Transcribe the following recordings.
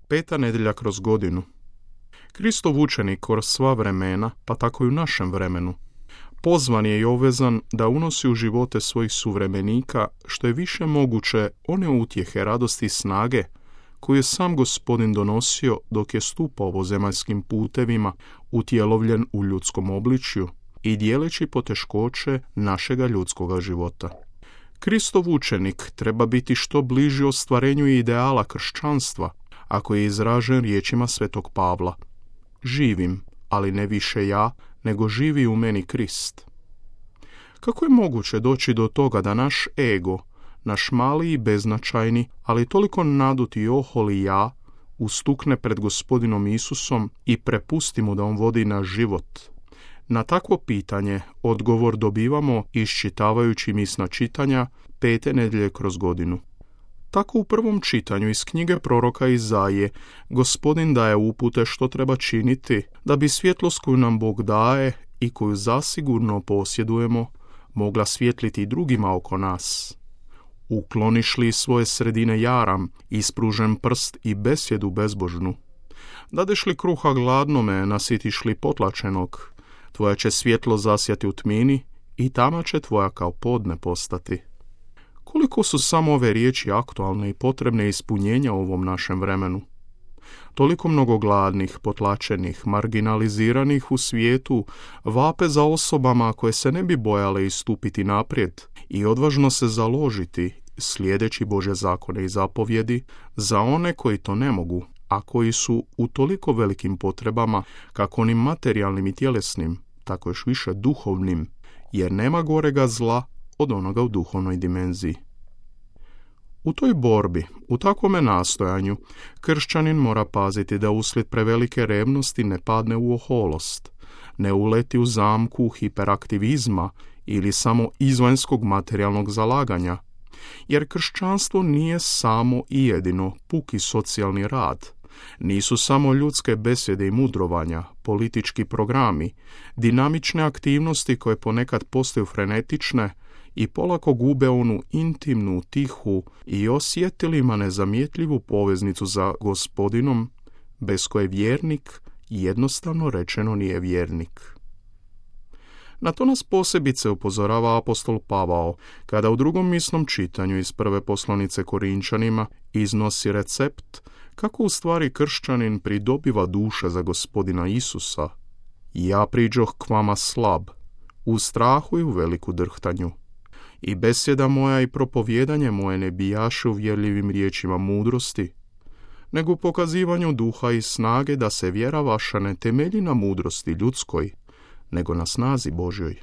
Peta nedjelja kroz godinu. Kristov učenik kroz sva vremena, pa tako i u našem vremenu, pozvan je i obvezan da unosi u živote svojih suvremenika što je više moguće one utjehe, radosti i snage koju je sam Gospodin donosio dok je stupao ovozemaljskim putevima, utjelovljen u ljudskom obličju i dijeleći poteškoće našega ljudskoga života. Kristov učenik treba biti što bliži ostvarenju ideala kršćanstva, ako je izražen riječima svetog Pavla: živim, ali ne više ja, nego živi u meni Krist. Kako je moguće doći do toga da naš ego, naš mali i beznačajni, ali toliko naduti i oholi ja, ustukne pred Gospodinom Isusom i prepusti mu da on vodi naš život? Na takvo pitanje odgovor dobivamo iščitavajući misna čitanja pete nedjelje kroz godinu. Tako u prvom čitanju iz knjige proroka Izaije Gospodin daje upute što treba činiti da bi svjetlost koju nam Bog daje i koju zasigurno posjedujemo mogla svjetliti i drugima oko nas. Ukloniš li svoje sredine jaram, ispružen prst i besjedu bezbožnu? Dadeš li kruha gladnome, nasitiš li potlačenog? Tvoja će svjetlo zasjati u tmini i tama će tvoja kao podne postati. Koliko su samo ove riječi aktualne i potrebne ispunjenja u ovom našem vremenu? Toliko mnogo gladnih, potlačenih, marginaliziranih u svijetu vape za osobama koje se ne bi bojale istupiti naprijed i odvažno se založiti, slijedeći Božje zakone i zapovjedi, za one koji to ne mogu, a koji su u toliko velikim potrebama, kako onim materijalnim i tjelesnim, tako još više duhovnim, jer nema gorega zla od onoga u duhovnoj dimenziji. U toj borbi, u takvome nastojanju, kršćanin mora paziti da uslijed prevelike revnosti ne padne u oholost, ne uleti u zamku hiperaktivizma ili samo izvanjskog materijalnog zalaganja, jer kršćanstvo nije samo i jedino puki socijalni rad, nisu samo ljudske besjede i mudrovanja, politički programi, dinamične aktivnosti koje ponekad postaju frenetične i polako gube onu intimnu, tihu i osjetilima nezamjetljivu poveznicu za Gospodinom, bez koje vjernik jednostavno rečeno nije vjernik. Na to nas posebice upozorava apostol Pavao, kada u drugom misnom čitanju iz prve poslanice Korinčanima iznosi recept kako u stvari kršćanin pridobiva duše za Gospodina Isusa. Ja priđoh k vama slab, u strahu i u veliku drhtanju. I besjeda moja i propovjedanje moje ne bijaše uvjerljivim riječima mudrosti, nego u pokazivanju duha i snage da se vjera vaša ne temelji na mudrosti ljudskoj, nego na snazi Božjoj.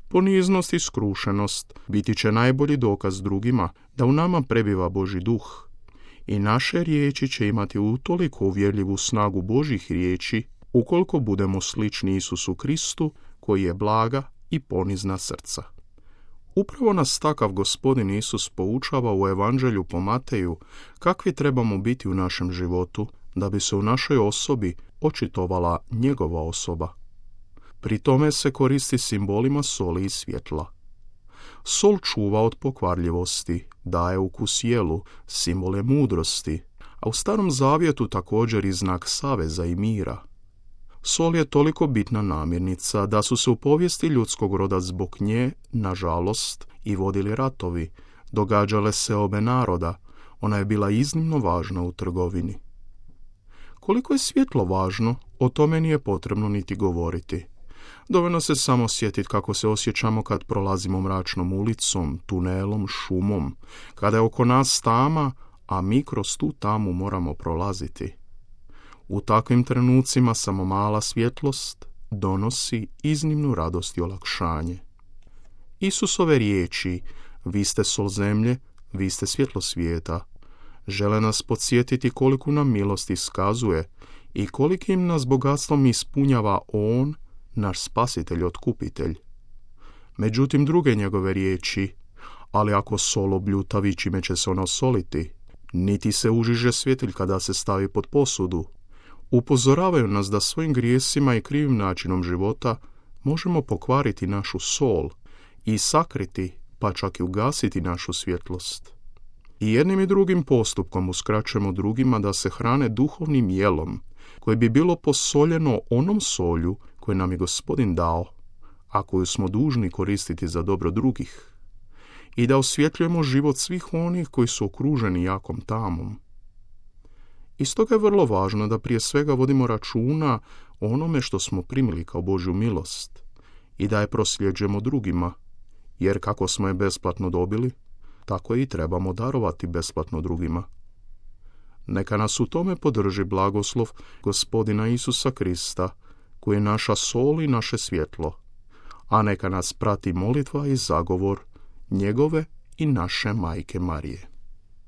Poniznost i skrušenost biti će najbolji dokaz drugima da u nama prebiva Božji duh i naše riječi će imati utoliko uvjerljivu snagu Božjih riječi ukoliko budemo slični Isusu Kristu koji je blaga i ponizna srca. Upravo nas takav Gospodin Isus poučava u Evanđelju po Mateju kakvi trebamo biti u našem životu da bi se u našoj osobi očitovala njegova osoba. Pri tome se koristi simbolima soli i svjetla. Sol čuva od pokvarljivosti, daje ukus jelu, simbol je mudrosti, a u Starom Zavjetu također i znak saveza i mira. Sol je toliko bitna namirnica da su se u povijesti ljudskog roda zbog nje, nažalost, i vodili ratovi, događale se obe naroda, ona je bila iznimno važna u trgovini. Koliko je svjetlo važno, o tome nije potrebno niti govoriti. Dovoljno se samo sjetiti kako se osjećamo kad prolazimo mračnom ulicom, tunelom, šumom, kada je oko nas tama, a mi kroz tu tamu moramo prolaziti. U takvim trenucima samo mala svjetlost donosi iznimnu radost i olakšanje. Isusove riječi, vi ste sol zemlje, vi ste svjetlo svijeta, žele nas podsjetiti koliku nam milost iskazuje i kolikim nas bogatstvom ispunjava On, naš spasitelj, otkupitelj. Međutim, druge njegove riječi, ali ako sol obljutavi, čime će se ono osoliti, niti se užiže svjetilj kada se stavi pod posudu, upozoravaju nas da svojim grijesima i krivim načinom života možemo pokvariti našu sol i sakriti, pa čak i ugasiti našu svjetlost. I jednim i drugim postupkom uskraćujemo drugima da se hrane duhovnim jelom, koje bi bilo posoljeno onom solju koju nam je Gospodin dao, a koju smo dužni koristiti za dobro drugih, i da osvjetljujemo život svih onih koji su okruženi jakom tamom. I stoga je vrlo važno da prije svega vodimo računa o onome što smo primili kao Božju milost i da je prosljeđujemo drugima, jer kako smo je besplatno dobili, tako i trebamo darovati besplatno drugima. Neka nas u tome podrži blagoslov Gospodina Isusa Krista, koji je naša sol i naše svjetlo, a neka nas prati molitva i zagovor njegove i naše Majke Marije.